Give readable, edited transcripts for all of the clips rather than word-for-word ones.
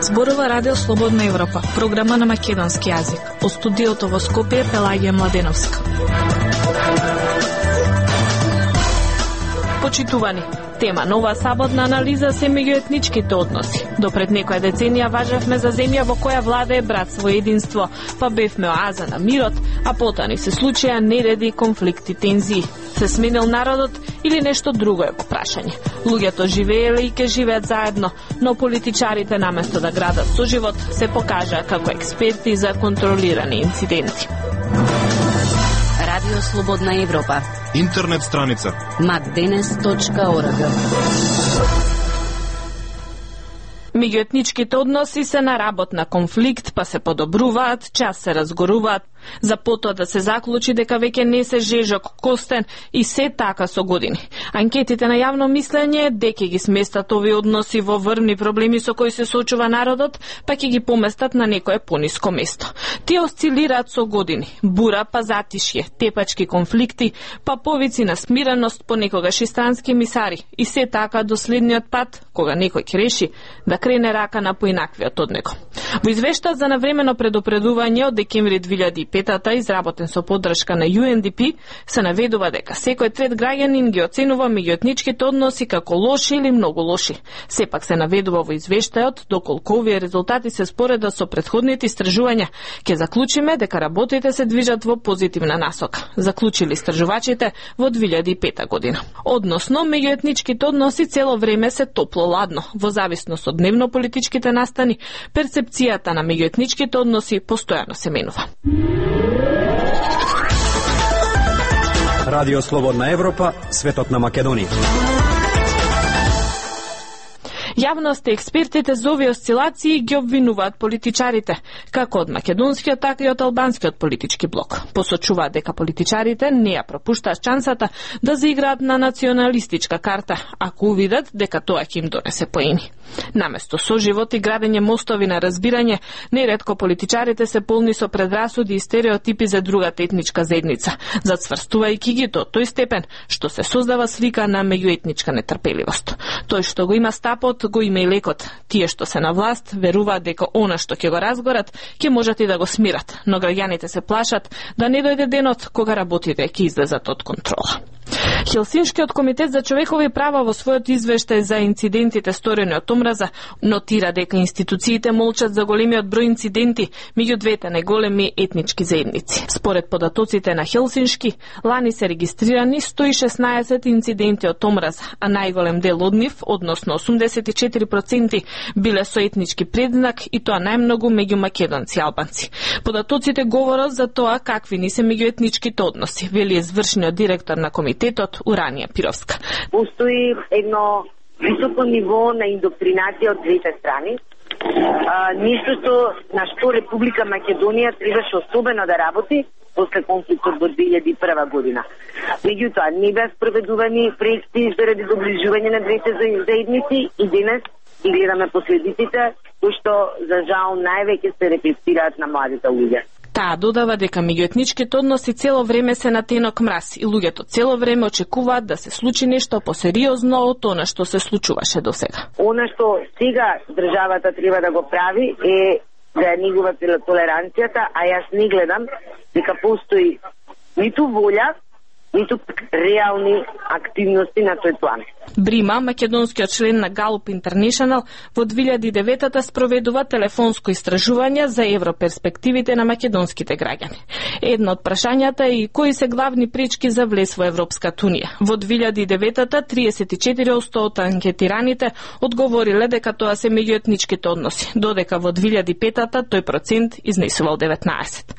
Зборува Радио Слободна Европа, програма на македонски јазик. Од студиото во Скопје Пелагија Младеновска. Почитувани, тема нова саботна анализа се меѓуетничките односи. Допред некоја деценија важевме за земја во која владее братство и единство, па бевме оаза на мирот, а потоа ни се случија нереди, конфликти, тензии. Се сменил народот или нешто друго е во прашање. Луѓето живееле и ке живеат заедно, но политичарите наместо да градат соживот се покажаа како експерти за контролирани инциденти. Радио Слободна Европа. Интернет страница macdenes.org. Меѓуетничките односи се на работ на конфликт, па се подобруваат, час се разгоруваат, за потоа да се заклучи дека веќе не се жежок костен и се така со години. Анкетите на јавно мислење дека ги сместат овие односи во врвни проблеми со кои се соочува народот, па ќе ги поместат на некое пониско место. Тие осцилираат со години. Бура па затишје, тепачки конфликти, па повици на смиреност, понекогаш и странски мисари. И се така до следниот пат, кога некој ќе реши да крене рака на поинаквиот од него. Во извештајот за навремено предупредување од декември 2005-та, изработен со поддршка на UNDP, се наведува дека секој трет граѓанин ги оценува меѓуетничките односи како лоши или многу лоши. Сепак се наведува во извештајот доколку овие резултати се спореда со претходните истражувања, ќе заклучиме дека работите се движат во позитивна насока, заклучили истражувачите во 2005 година. Односно, меѓуетничките односи цело време се топло-ладно, во зависност од дневно-политичките настани, перцепцијата на меѓуетничките односи постојано се менува. Радио Слободна Европа, светот на Македонија. Јавност и експертите за овие осцилации ги обвинуваат политичарите, како од македонскиот, така и од албанскиот политички блок. Посочуваат дека политичарите не ја пропуштаат шансата да заиграат на националистичка карта, ако увидат дека тоа ќе им донесе поени. Наместо соживот и градење мостови на разбирање, неретко политичарите се полни со предрасуди и стереотипи за другата етничка заедница, зацврстувајќи ги до тој степен што се создава слика на меѓуетничка нетрпеливост. Тој што го има стапот, го има и лекот. Тие што се на власт веруваат дека она што ќе го разгорат, ќе можат и да го смират, но граѓаните се плашат да не дојде денот кога работите ќе излезат од контрола. Хелсиншкиот комитет за човекови права во својот извештај за инцидентите сторени од омраза нотира дека институциите молчат за големиот број инциденти меѓу двете најголеми етнички заедници. Според податоците на Хелсиншки, лани се регистрирани 116 инциденти од омраза, а најголем дел од нив, односно 84%, биле со етнички предзнак и тоа најмногу меѓу македонци и албанци. Податоците говорат за тоа какви ни се меѓуетничките односи, вели извршниот директор на комитетот Уранија Пировска. Постои едно високо ниво на индоктринација од двете страни. Нешто на што Република Македонија требаше особено да работи после конфликтот во 2001 година. Меѓутоа, не беа спроведувани проекти заради доближување на двете заедници и денес ги гледаме последиците, кои што за жал највеќе се рефлектираат на младите луѓе. Таа додава дека меѓуетничките односи цело време се на тенок мраз и луѓето цело време очекуваат да се случи нешто посериозно од она што се случуваше досега. Она што сега државата треба да го прави е да ја негува толеранцијата, а јас не гледам дека постои ниту волја, ниту реални активности на тој план. Брима, македонскиот член на Галуп Интернешнл, во 2009-та спроведува телефонско истражување за европерспективите на македонските граѓани. Едно од прашањата е и кои се главни пречки за влез во Европската унија. Во 2009-та 34% од анкетираните одговориле дека тоа се меѓуетничките односи, додека во 2005-та тој процент изнесувал 19%.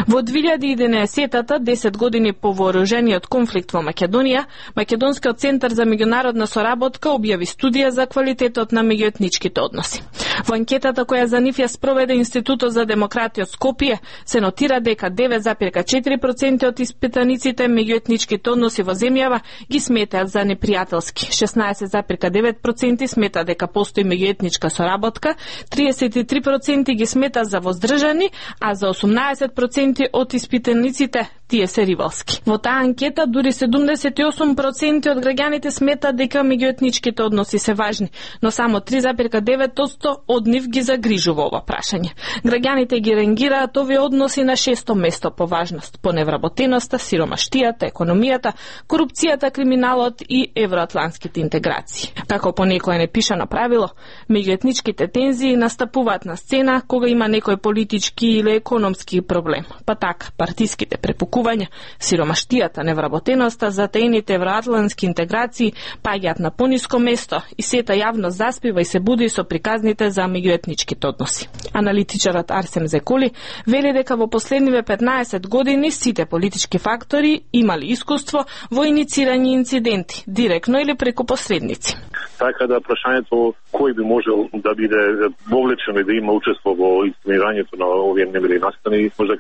Во 2011-та, 10 години по вооружениот конфликт во Македонија, Македонскиот центар за меѓународна соработка објави студија за квалитетот на меѓуетничките односи. Во анкетата која за нив ја спроведе Институтот за демократија од Скопје, се нотира дека 9,4% од испитаниците меѓуетничките односи во земјава ги сметаат за непријателски. 16,9% смета дека постои меѓуетничка соработка, 33% ги смета за воздржани, а за 18% од испитаниците тие се ривалски. Во таа анкета дури 78% од граѓаните сметаат дека меѓуетничките односи се важни, но само 3,9% од нив ги загрижува ова прашање. Граѓаните ги рангираат овие односи на 6-то место по важност, по невработеноста, сиромаштијата, економијата, корупцијата, криминалот и евроатлантските интеграции. Како по некое непишано правило, меѓуетничките тензии настапуваат на сцена кога има некој политички или економски проблем. Па така, партиските препукувања, сиромаштијата, невработеноста, затаените евроатлантски интеграции паѓаат на пониско место и сета јавно заспива и се буди со приказните за меѓуетничките односи. Аналитичарот Арсем Зеколи вели дека во последниве 15 години сите политички фактори имали искуство во иницирање инциденти, директно или преку посредници. Така да прашањето кој би можел да биде вовлечен и да има учество во инсценирањето на овие немили настани, може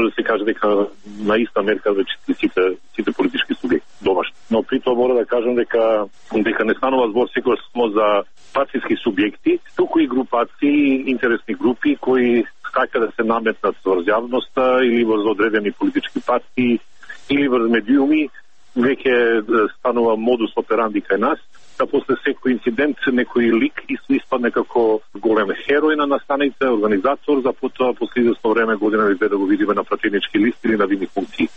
да се каже дека на иста мерка веќе сите политички субјекти домашни. Но при тоа мора да кажам дека не станува збор секогаш само за партиски субјекти, туку и групации, интересни групи кои сака да се наметнат врз јавноста или врз одредени политички партии или врз медиуми, веќе станува модус операнди кај нас, да после секој инцидент некој лик испадне како голем херој на настаните, организатор, за потоа после известно време, година или две, да го видиме на пратенички листи или на видни функции.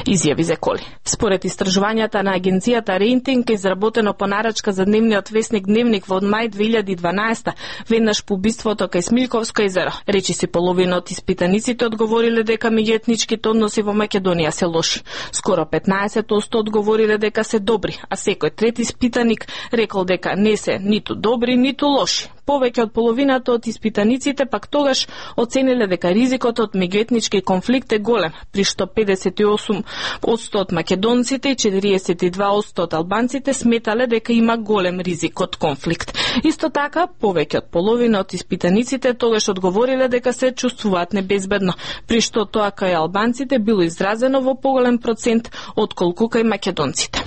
Изјави Зеколи. Според истражувањата на агенцијата Рейтинг, изработено по нарачка за дневниот весник Дневник во мај 2012, веднаш по убиството кај Смилковско езеро, речиси половина од испитаниците одговориле дека меѓуетничките односи во Македонија се лоши. Скоро 15% одговориле дека се добри, а секој трети испитаник рекол дека не се ниту добри, ниту лоши. Повеќе од половината од испитаниците пак тогаш оцениле дека ризикот од меѓуетнички конфликт е голем, при што 58% од македонците и 42% од албанците сметале дека има голем ризик од конфликт. Исто така, повеќе од половина од испитаниците тогаш одговориле дека се чувствуваат небезбедно, при што тоа кај албанците било изразено во поголем процент отколку кај македонците.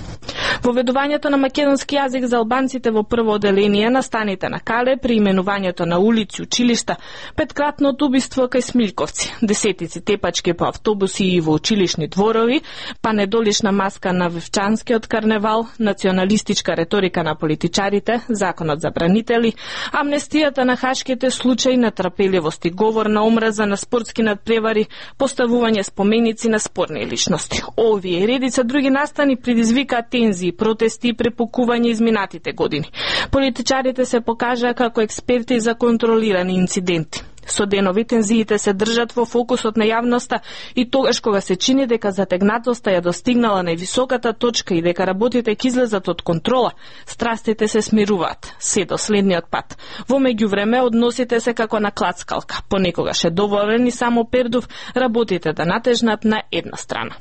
Воведувањето на македонски јазик за албанците во прво оделение на станите на Кале, при именувањето на улици, училишта, петкратното убиство кај Смилковци, десетици тепачки по автобуси и во училишни дворови, па недолишна маска на Вевчанскиот карневал, националистичка реторика на политичарите, законот за бранители, амнестијата на хашките случаи на трпеливост и говор на омраза на спортски надпревари, поставување споменици на спорни личности. Овие и редица други настани предизвикаат тензии, протести и препукување изминатите години. Политичарите се покажаа како експерти за контролирани инциденти. Со денови тензиите се држат во фокусот на јавноста и тогаш кога се чини дека затегнатоста ја достигнала највисоката точка и дека работите ќе излезат од контрола, страстите се смируваат, се до следниот пат. Во меѓувреме односите се како на клацкалка, понекогаш е доволен и само пердув работите да натежнат на една страна.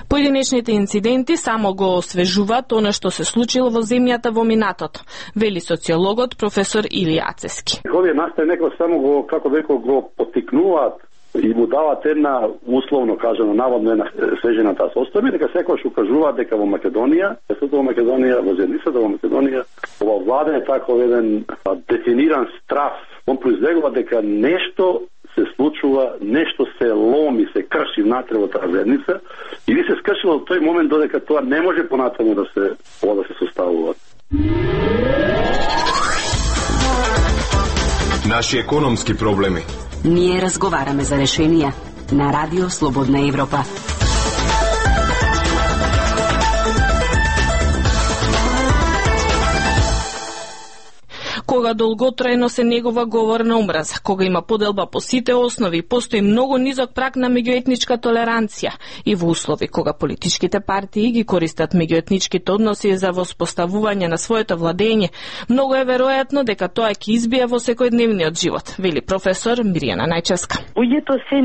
Поединечните инциденти само го освежуваат она што се случило во земјата во минатото, вели социологот професор Илија Ацески. Овие настани некој само го, како веќе го поттикнуваат и му дават една, условно кажано, наводно една свежената состојба, дека секојаш укажуваат дека во Македонија, во Македонија, во заедницата во Македонија, ова влада е таков еден дефиниран страв. Он произлегува дека нешто се случува, нешто се ломи, се крши внатре во таа заедница и ви се скршило во тој момент додека тоа не може понатаму да се составува. Наши економски проблеми. Ние разговараме за решенија на Радио Слободна Европа. Кога долготрајно се негова говор на омраза, кога има поделба по сите основи, постои многу низок праг на меѓуетничка толеранција и во услови кога политичките партии ги користат меѓуетничките односи за воспоставување на своето владење, многу е веројатно дека тоа ќе избие во секојдневниот живот, вели професор Мирјана Најчевска. Луѓето се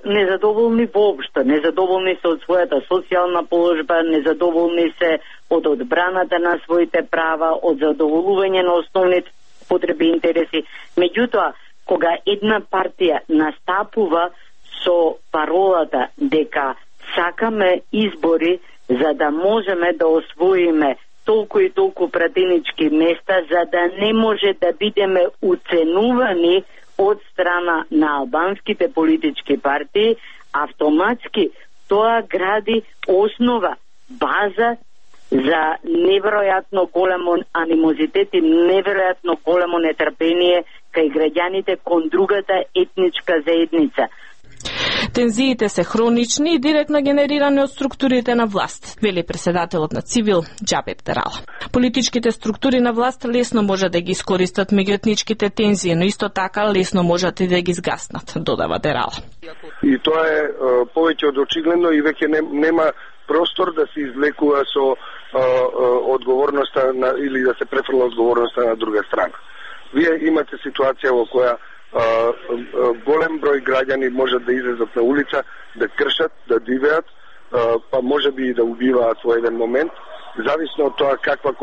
незадоволни воопшто, незадоволни се од својата социјална положба, незадоволни се од одбраната на своите права, од задоволување на основните потреби и интереси. Меѓутоа, кога една партија настапува со паролата дека сакаме избори за да можеме да освоиме толку и толку пратенички места, за да не може да бидеме уценувани од страна на албанските политички партии, автоматски тоа гради основа, база за неверојатно големо анимозитет и неверојатно големо нетрпение кај граѓаните кон другата етничка заедница. Тензиите се хронични и директно генерирани од структурите на власт, вели преседателот на Цивил Џабер Дерала. Политичките структури на власт лесно можат да ги искористат меѓуетничките тензии, но исто така лесно можат и да ги згаснат, додава Дерала. И тоа е повеќе од очигледно и веќе нема простор да се извлекува со одговорноста или да се префрла одговорноста на друга страна. Вие имате ситуација во која голем број граѓани можат да излезат на улица, да кршат, да дивеат, па може би и да убиваат во еден момент, зависно од тоа каква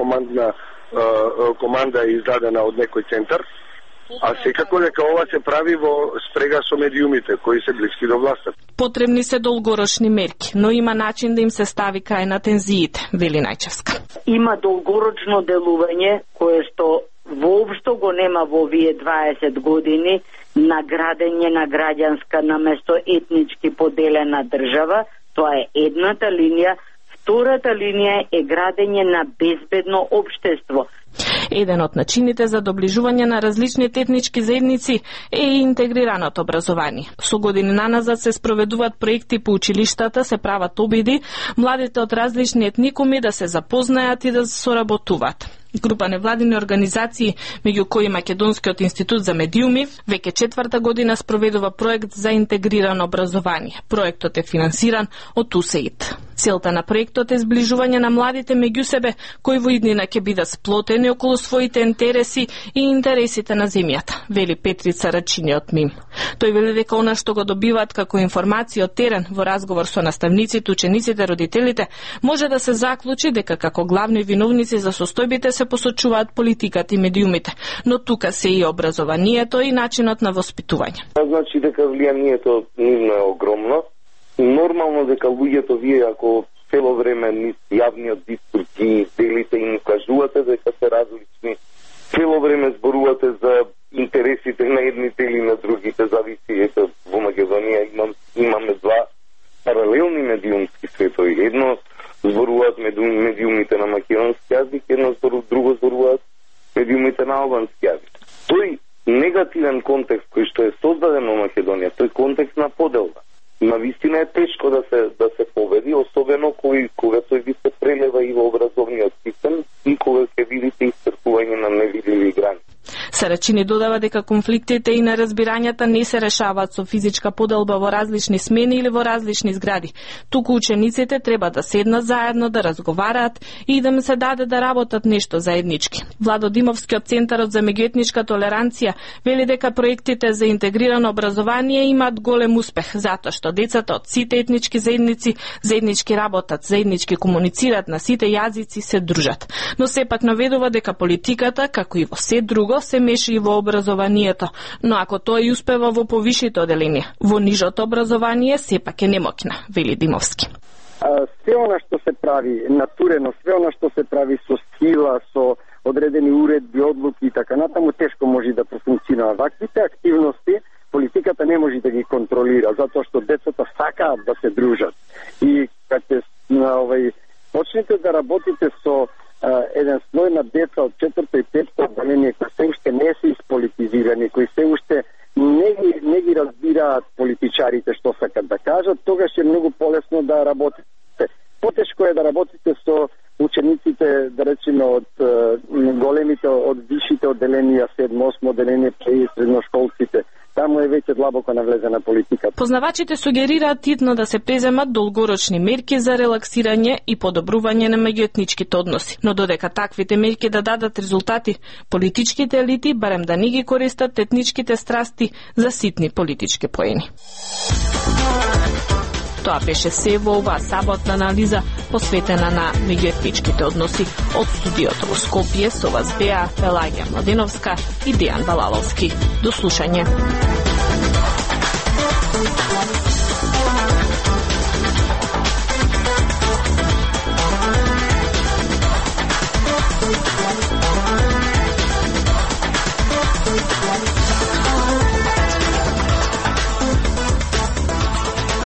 команда е издадена од некој центар, а секако дека ова се прави во спрега со медиумите кои се блиски до власта. Потребни се долгорочни мерки, но има начин да им се стави крај на тензиите, вели Најчевска. Има долгорочно делување кое што воопшто го нема во овие 20 години на градење на граѓанска наместо етнички поделена држава. Тоа е едната линија. Втората линија е градење на безбедно општество. Еден од начините за доближување на различните етнички заедници е и интегрираното образование. Со години наназад се спроведуваат проекти по училиштата, се прават обиди младите од различни етникуми да се запознаат и да соработуваат. Група невладини организации, меѓу кои Македонскиот институт за медиуми, веќе 4-та година спроведува проект за интегрирано образование. Проектот е финансиран од УСАИД. Целта на проектот е зближување на младите меѓу себе, кои во иднина ќе бидат сплотени околу своите интереси и интересите на земјата, вели Петрица Рачини од МИМ. Тој вели дека она што го добиваат како информација од терен во разговор со наставниците, учениците, родителите, може да се заклучи дека како главни виновници за состојбите се посочуваат политиката и медиумите, но тука се и образованието и начинот на воспитување. Значи дека влијанието нивно е огромно. Нормално дека луѓето вие ако цело време низ јавниот дискурс ги делите и им кажувате дека се различни, цело време зборувате за интересите на едните или на другите, зависи. Ето во Македонија имаме два паралелни медиумски светови. Едно зборуваат медиумите на македонски јазик, друго зборуваат медиумите на албански јазик. Тој негативен контекст кој што е создаден во Македонија, тој контекст на поделба, навистина е тешко да се победи, особено кога тој би се прелева и во образовниот систем и кога ќе видите исцрпување на невидливи граници. Сарачини додава дека конфликтите и неразбирањата не се решаваат со физичка поделба во различни смени или во различни згради. Туку учениците треба да седнат заедно, да разговараат и да им се даде да работат нешто заеднички. Владо Димовски од Центарот за меѓуетничка толеранција вели дека проектите за интегрирано образование имаат голем успех, затоа што децата од сите етнички заедници заеднички работат, заеднички комуницираат на сите јазици, се дружат. Но сепак наведува дека политиката, како и во се друго, се меши и во образованието, но ако тој успева во повишите оделенија, во нижото образование сепак е немоќна, вели Димовски. Све она што се прави натурено, све она што се прави со сила, со одредени уредби, одлуки и така натаму, тешко може да профункционира. Ваквите активности политиката не може да ги контролира, затоа што децата сакаат да се дружат. И кога почнете да работите со еден слој на деца од 4-то и 5-то оделение кои се уште не се исполитизирани, кои се уште не ги разбираат политичарите што сакат да кажат, тогаш е многу полесно да работите. Потешко е да работите со учениците, да речеме, од големите, од висшите оделенија, 7-8 оделение, и средношколците. Таму е веќе длабоко навлезена политика. Познавачите сугерираат итно да се преземат долгорочни мерки за релаксирање и подобрување на меѓуетничките односи. Но додека таквите мерки да дадат резултати, политичките елити барем да не ги користат етничките страсти за ситни политички поени. Тоа беше се во оваа саботна анализа посветена на меѓуетничките односи. Од студиото во Скопје со вас беа Пелагија Младеновска и Дејан Балаловски. До слушање.